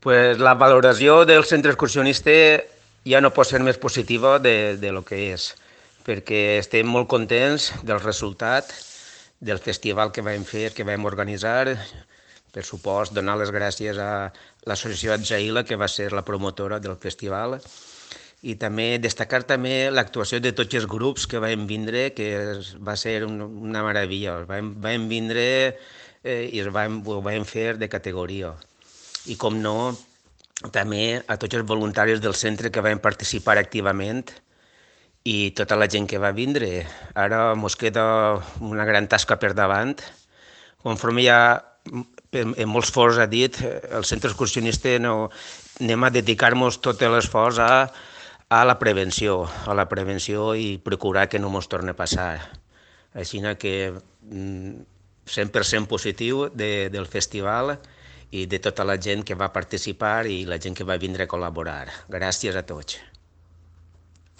Pues la valoració del centre excursionista ja no pot ser més positiva de lo que és, perquè estem molt contents del resultat del festival que vam fer, que vam organitzar. Per supost, donar les gràcies a l'associació Atzaïla, que va ser la promotora del festival, i també destacar també l'actuació de tots els grups que vam vindre, que va ser una meravella. Vam vindre i ho vam fer de categoria. I com no, també a tots els voluntaris del centre que van participar activament i tota la gent que va vindre. Ara ens queda una gran tasca per davant. Conforme ja en molts fors ha dit, el centre excursionista anem a dedicar-nos tot l'esforç a la prevenció i procurar que no ens torni a passar. Així que 100% positiu del festival i de tota la gent que va participar i la gent que va vindre a col·laborar. Gràcies a tots.